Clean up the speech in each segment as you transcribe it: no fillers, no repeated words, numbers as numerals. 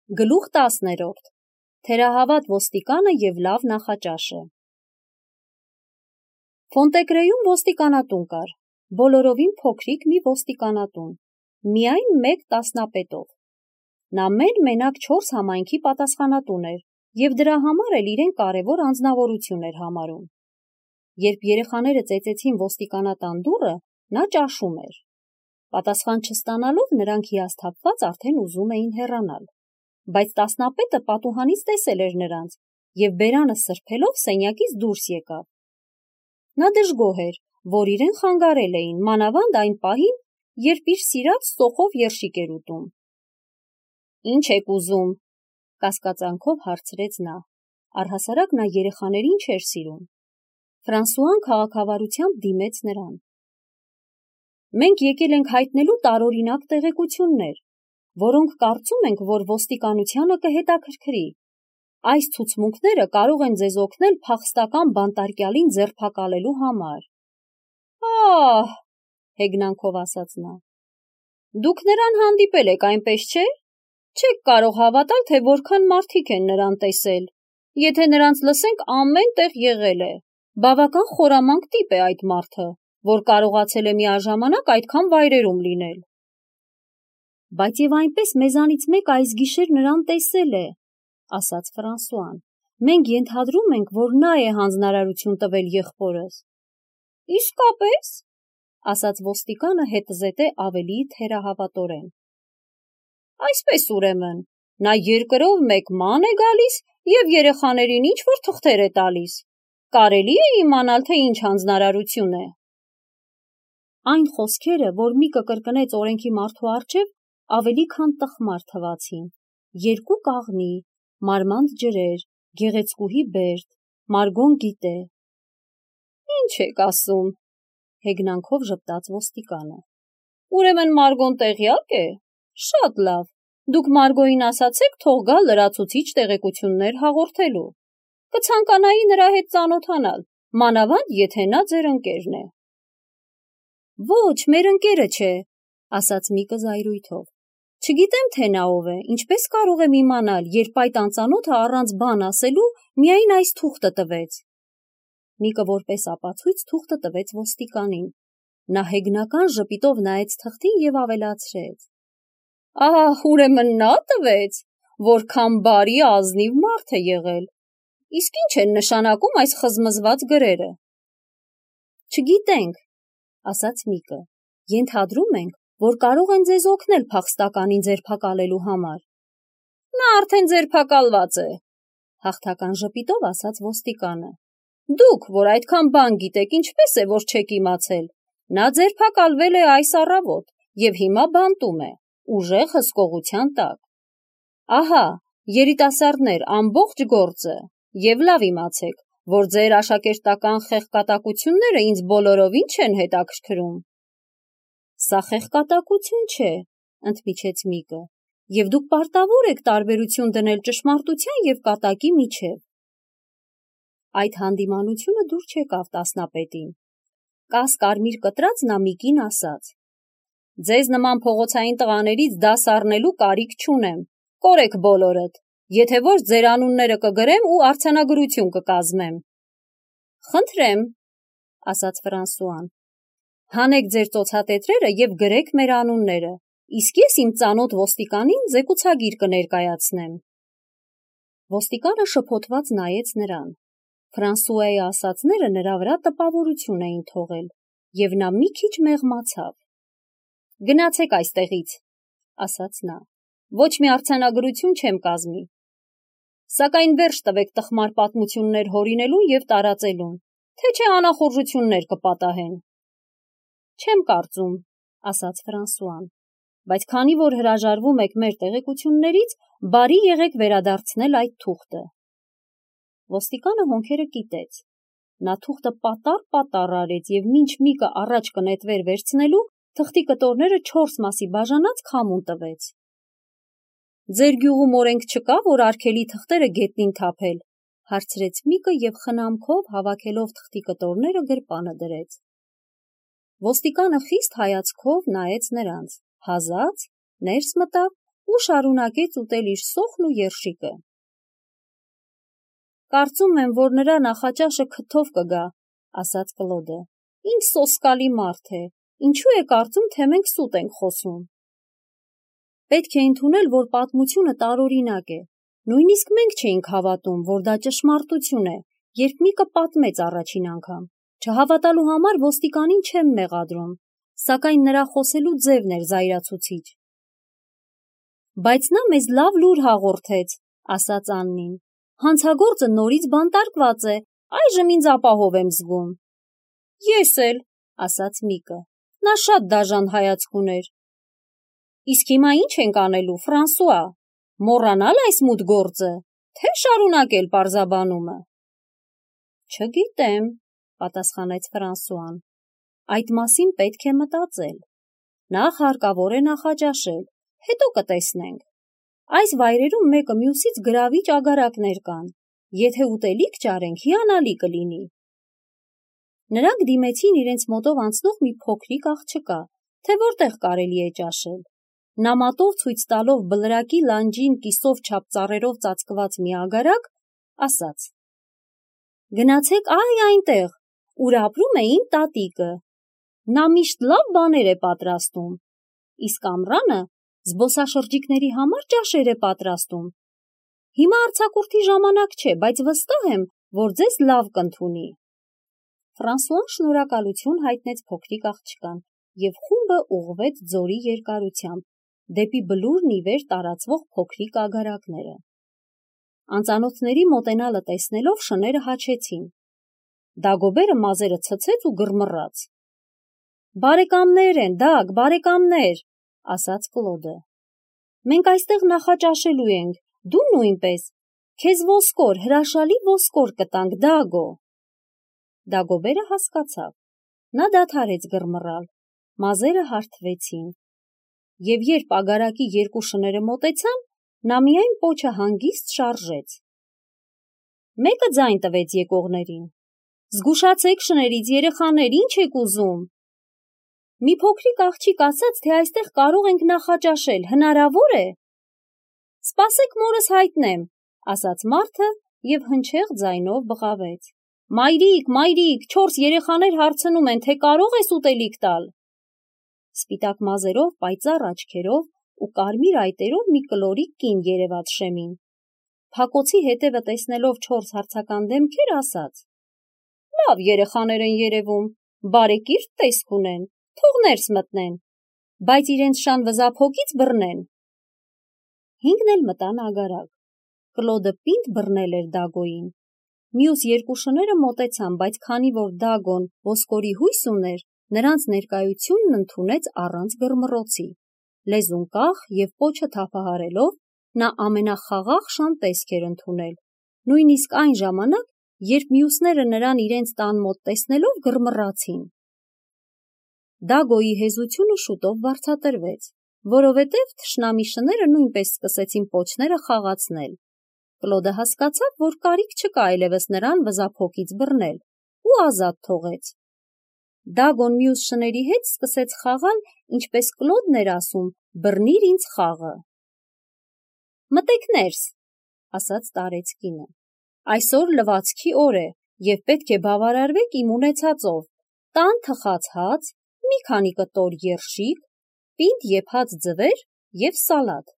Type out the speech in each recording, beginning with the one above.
Գլուխ 10. Թերահավատ ոստիկանը և լավ նախաճաշը։ Ֆոնտեգրեյում ոստիկանատուն կար, բոլորովին փոքրիկ մի ոստիկանատուն, միայն մեկ տասնապետով։ Նա մենակ 4 համայնքի պատասխանատուն էր և դրա համար էլ իրեն կարևոր անձնավորություն էր համարում։ Երբ երեխաները ծեծեցին ոստիկանատան դուռը, նա ճաշում էր։ Պատասխան չստանալով նրանք հիասթափված արդեն ուզում էին հեռանալ, բայց տասնապետը պատուհանից տեսել էր նրանց և բերանը սրբելով սենյակից դուրս եկավ։ Նա դժգոհ էր, որ իրեն խանգարել էին, մանավանդ այն պահին, երբ իր սիրած սոխով երշիկ էր ուտում։ «Ինչ եք ուզում», կասկածանքով հարցրեց նա, առհասարակ նա երեխաներին չէր սիրում։ Ֆրանսուան քաղաքավարությամբ դիմեց նրան։ «Մենք եկել ենք հայտնելու տարօրինակ տեղեկություններ, որոնք կարծում ենք, որ ոստիկանությանը կհետաքրքրի։ Այս ցուցմունքները կարող են ձեզ օգնել փախստական բանտարկյալին ձերբակալելու համար»։ «Ահ», հեգնանքով ասաց նա, «դուք նրան հանդիպել եք, այնպես չէ՞։ Չեք կարող հավատալ, թե որքան մարդիկ են նրան տեսել։ Եթե նրանց լսենք, ամեն տեղ եղել է։ Բավական խորամանկ տիպ է այդ մարդը, որ կարողացել է միաժամանակ այդքան վայրերում լինել»։ «Բայց և այնպես մեզանից մեկը այս գիշեր նրան տեսել է», ասաց Ֆրանսուան։ «Մենք ենթադրում ենք, որ նա է հանձնարարություն տվել եղբորս»։ «Իսկապես», ասաց ոստիկանը հետզհետե ավելի թերահավատորեն։ «Այսպես ուրեմն, նա երկրով մեկ ման է գալիս և երեխաներին ինչ-որ թղթեր է տալիս։ Կարելի է իմանալ, թե ինչ հանձնարարություն է»։ Այն խոսքերը, որ Միկը կրկնեց օրենքի մարդու առջև, ավելի քան տխմար թվացին։ 2 կաղնի, մարմանդ ջրեր, գեղեցկուհի բերդ, Մարգոն գիտե։ «Ինչ եք ասում», հեգնանքով ժպտաց ոստիկանը։ «Ուրեմն Մարգոն տեղյակ է։ Շատ լավ, դուք Մարգոյին ասացեք թող գա լրացուցիչ տեղեկություններ հաղորդելու։ Կցանկանայի նրա հետ ծանոթանալ, մանավանդ եթե նա ձեր ընկերն է»։ «Ոչ, մեր ընկերը չէ», ասաց Միկը զայրույթով։ «Չգիտեմ, թե նա ով է, ինչպես կարող եմ իմանալ, երբ այդ անծանոթը առանց բան ասելու միայն այս թուղթը տվեց»։ Միկը որպես ապացույց թուղթը տվեց ոստիկանին։ Նա հեգնական ժպիտով նայեց թղթին և ավելացրեց. «Ահ, ուրեմն նա տվեց, որքան բարի ազնիվ մարդ է եղել։ Իսկ ինչ են նշանակում այս խզմզված գրերը»։ «Չգիտենք», ասաց Միկը։ «Ենթադրում ենք, որ կարող են ձեզ օգնել փախստականին ձերբակալելու համար»։ «Նա արդեն ձերբակալված է», հաղթական ժպիտով ասաց ոստիկանը։ «Դուք, որ այդքան բան գիտեք, ինչպես է, որ չեք իմացել։ Նա ձերբակալվել է այս առավոտ և հիմա բանտում է, ուժեղ հսկողության տակ։ Ահա, երիտասարդներ, ամբողջ գործը, և լավ իմացեք, որ ձեր աշակերտական խեղկատակությունները ինձ բոլորովին չեն հետաքրքրում»։ «Սա խեղկատակություն չէ», ընդմիջեց Միկը, «և դուք պարտավոր եք տարբերություն դնել ճշմարտության և կատակի միջև»։ Այդ հանդիմանությունը դուր չեկավ տասնապետին։ Կաս-կարմիր կտրած նա Միկին ասաց. «Ձեզ նման փողոցային տղաներից դաս առնելու կարիք չունեմ, կորեք բոլորդ, եթե ոչ ձեր անունները կգրեմ ու արձանագրություն կկազմեմ»։ «Խնդրեմ», ասաց Ֆրանսուան, «հանեք ձեր ծոցատետրերը և գրեք մեր անունները, իսկ ես իմ ծանոթ ոստիկանին զեկուցագիր կներկայացնեմ»։ Ոստիկանը շփոթված նայեց նրան։ Ֆրանսուայի ասածները նրա վրա տպավորություն էին թողել, և նա մի քիչ մեղմացավ։ «Գնացեք այստեղից», ասաց նա, «ոչ մի արձանագրություն չեմ կազմի։ Սակայն վերջ տվեք տխմար պատմություններ հորինելուն և տարածելուն, թե չէ անախորժություններ կպատահեն»։ «Չեմ կարծում», ասաց Ֆրանսուան, «բայց քանի որ հրաժարվում եք մեր տեղեկություններից, բարի եղեք վերադարձնել այդ թուղթը»։ Ոստիկանը հոնքերը կիտեց։ Նա թուղթը պատառ արեց և մինչ Միկը առաջ կնետվեր վերցնելու, թղթի կտորները 4 մասի բաժանած քամուն տվեց։ «Ձեր գյուղում օրենք չկա, որ արգելի թղթերը գետնին թափել», հարցրեց Միկը և խնամքով հավաքելով թղթի կտորները գրպանը դրեց։ Ոստիկանը խիստ հայացքով նայեց նրանց, հազաց, ներս մտավ ու շարունակեց ուտել իր սոխն ու երշիկը։ Կարծում եմ, որ նրա նախաճաշը քթով կգա, ասաց Կլոդը։ Ինչ սոսկալի մարդ է, ինչու է կարծում, թե մենք սուտ ենք խոսում։ Պետք է ընդունել, որ պատմությունը տարօրինակ է։ Նույնիսկ մենք չէինք հավատում, որ դա ճշմարտություն է, երբ Միկը պատմեց առաջին անգամ։ Չհավատալու համար ոստիկանին չեմ մեղադրում, սակայն նրա խոսելու ձևն էր զայրացուցիչ։ Բայց նա մեզ լավ լուր հաղորդեց, ասաց Աննին։ Հանցագործը նորից բանտարկված է, այժմ ինձ ապահով եմ զգում։ Ես էլ, ասաց Միկը, նա շատ դաժան հայացք ուներ։ Իսկ հիմա ինչ ենք անելու, Ֆրանսուଆ, մոռանալ այս մութ գործը, թե շարունակել պարզաբանումը։ Չգիտեմ, պատասխանեց Ֆրանսուան, այդ մասին պետք է մտածել։ Նախ հարկավոր է նախաճաշել, հետո կտեսնենք։ Այս վայրերում մեկը մյուսից գրավիչ ագարակներ կան, եթե ուտելիք ճարենք, հիանալի կլինի։ Նրանք դիմեցին իրենց մոտով անցնող մի փոքրիկ աղջկա, թե որտեղ կարելի է ճաշել։ Նամատով ցույց տալով բլրակի լանջին կիսով չափ ծառերով ծածկված մի ագարակ, ասաց. Գնացեք այնտեղ, ուր ապրում է իմ տատիկը։ Նա միշտ լավ բաներ է պատրաստում, իսկ ամռանը զբոսաշրջիկների համար ճաշեր է պատրաստում։ Հիմա արձակուրդի ժամանակ չէ, բայց վստահ եմ, որ ձեզ լավ կընդունի։ Ֆրանսուան շնորհակալություն հայտնեց փոքրիկ աղջկան, և խումբը ուղղվեց ձորի երկարությամբ, դեպի բլուրն ի վեր տարածվող փոքրիկ ագարակները։ Անծանոթների մոտենալը տեսնելով շները հաչեցին։ Դագոբերը մազերը ցցեց ու գրմռաց։ Բարեկամներ են, Դագ, բարեկամներ, ասաց Կլոդը։ Մենք այստեղ նախաճաշելու ենք, դու նույնպես, քեզ ոսկոր, հրաշալի ոսկոր կտանք, Դագո։ Դագոբերը հասկացավ։ Նա դադարեց գրմռալ, մազերը հարթվեցին։ Եվ երբ ագարակի երկու շները մոտեցան, նա միայն պոչը հանգիստ շարժեց։ Մեկը ձայն տվեց եկողներին. Զգուշացեք շներից, երեխաներ, ինչ եք ուզում։ Մի փոքրիկ աղջիկ ասաց, թե այստեղ կարող ենք նախաճաշել, հնարավոր է։ Սպասեք մորս հայտնեմ, ասաց մարդը և հնչեղ ձայնով բղավեց. Մայրիկ, մայրիկ, 4 երեխաներ հարցնում են, թե կարող ես ուտելիք տալ։ Սպիտակ մազերով, պայծառ աչքերով ու կարմիր այտերով մի կլորիկ կին երևաց շեմին։ Փակոցի հետևը տեսնելով 4 հարցական դեմքեր, ասաց. Լավ երեխաներ են երևում, բարեկիրթ տեսք ունեն, թող ներս մտնեն, բայց իրենց շան վզափոկից բռնեն։ 5-ն էլ մտան ագարակ։ Կլոդը պինդ բռնել էր Դագոյին։ Մյուս երկու շները մոտեցան, բայց քանի որ Դագոն ոսկորի հույս ուներ, նրանց ներկայությունն ընդունեց առանց գրմռոցի։ Լեզուն կախ և պոչը թափահարելով, նա ամենախաղաղ շան տեսք էր ընդունել, նույնիսկ այն ժամանակ, երբ մյուսները նրան իրենց տան մոտ տեսնելով գրմռացին։ Դագոյի հեզությունը շուտով վարձատրվեց, որովհետև թշնամի շները նույնպես սկսեցին պոչները խաղացնել։ Կլոդը հասկացավ, որ կարիք չկա այլևս նրան վզափոկից բռնել ու ազատ թողեց։ Դագոն մյուս շների հետ սկսեց խաղալ, ինչպես Կլոդն էր ասում, բռնիր ինձ խաղը։ Մտեք ներս, ասաց տարեց կինը։ Այսօր լվացքի օր է, և պետք է բավարարվեք իմ ունեցածով, տան թխած հաց, մի քանի կտոր երշիկ, պինդ եփած ձվեր և սալատ։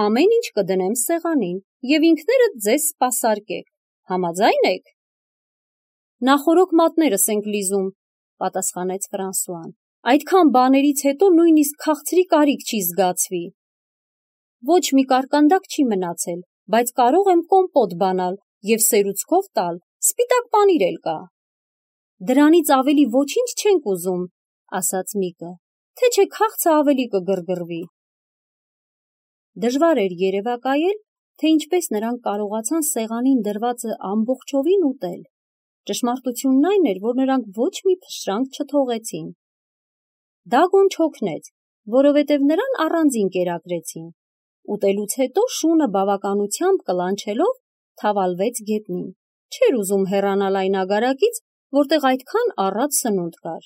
Ամեն ինչ կդնեմ սեղանին, և ինքներդ ձեզ սպասարկեք, համաձայն եք։ Նախօրոք մատներս ենք լիզում, պատասխանեց Ֆրանսուան, այդքան բաներից հետո նույնիսկ քաղցրի կարիք չի զգացվի։ Ոչ մի կարկանդակ չի մնացել, բայց կարող եմ կոմպոտ բանալ և սերուցքով տալ, սպիտակ պանիր էլ կա։ Դրանից ավելի ոչինչ չենք ուզում, ասաց Միկը, թե չէ քաղցը ավելի կգրգռվի։ Դժվար էր երևակայել, թե ինչպես նրանք կարողացան սեղանին դրվածը ամբողջովին ուտել։ Ճշմարտությունն այն էր, որ նրանք ոչ մի փշրանք չթողեցին։ Դագոն չօգնեց, որովհետև նրան առանձին կերակրեցին։ Ուտելուց հետո շունը բավականությամբ կլանչելով թավալվեց գետնին։ Չէր ուզում հեռանալ այն ագարակից, որտեղ այդքան առատ սնունդ կար։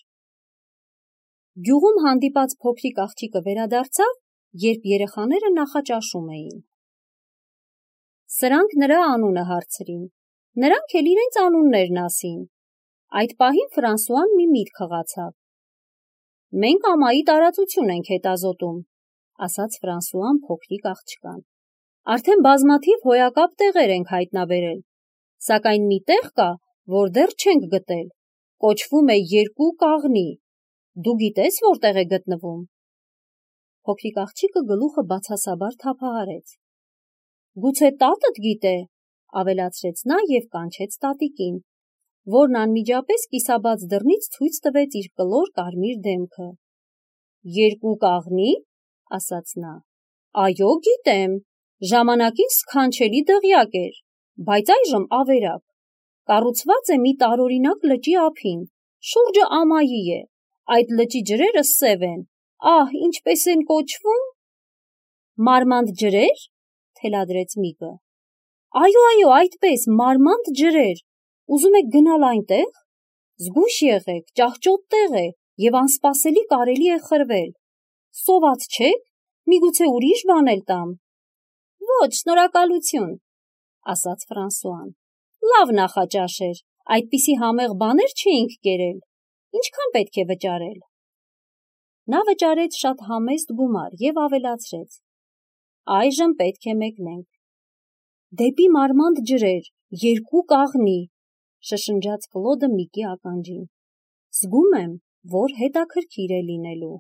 Գյուղում հանդիպած փոքրիկ աղջիկը վերադարձավ երբ երեխաները նախաճաշում էին։ Սրանք նրա անունը հարցրին, նրանք էլ իրենց անուններն ասին։ Այդ պահին Ֆրանսուան մի միտք հղացավ։ Մենք ամայի տարածություն ենք հետազոտում, ասաց Ֆրանսուան փոքրիկ աղջկան։ Արդեն բազմաթիվ հոյակապ տեղեր ենք հայտնաբերել, սակայն մի տեղ կա, որ դեռ չենք գտել, կոչվում է երկու կաղնի, դու գիտես որտեղ է գտնվում։ Փոքրիկ աղջիկը գլուխը բացասաբար թափահարեց։ Գուցե տատդ գիտե, ավելացրեց նա և կանչեց տատիկին, որն անմիջապես կիսաբաց դռնից ցույց տվեց իր կլոր կարմիր դեմքը։ Երկու կաղնի, ասաց նա, այո, գիտեմ, ժամանակին սքանչելի դղյակ էր, բայց այժմ ավերակ, կառուցված է մի տարօրինակ լճի ափին, շուրջը ամայի է, այդ լճի ջրերը սև են, ահ, ինչպես են կոչվում։ Մարմանդ ջրեր, թելադրեց Միկը։ Այո, այդպես, մարմանդ ջրեր, ուզում եք գնալ այնտեղ։ Զգույշ եղեք, ճահճոտ տեղ է և անսպասելի կարելի է խրվել։ Սոված չեք, միգուցե ուրիշ բան էլ տամ։ Ոչ, շնորհակալություն, ասաց Ֆրանսուան։ Լավ նախաճաշ էր, այդպիսի համեղ բաներ չէինք կերել։ Ինչքան պետք է վճարել։ Նա վճարեց շատ համեստ գումար և ավելացրեց. Այժմ պետք է մեկնենք։ Դեպի մարմանդ ջրեր, երկու կաղնի, շշնջաց Կլոդը Միկի ականջին։ Զգում եմ, որ հետաքրքիր է լինելու։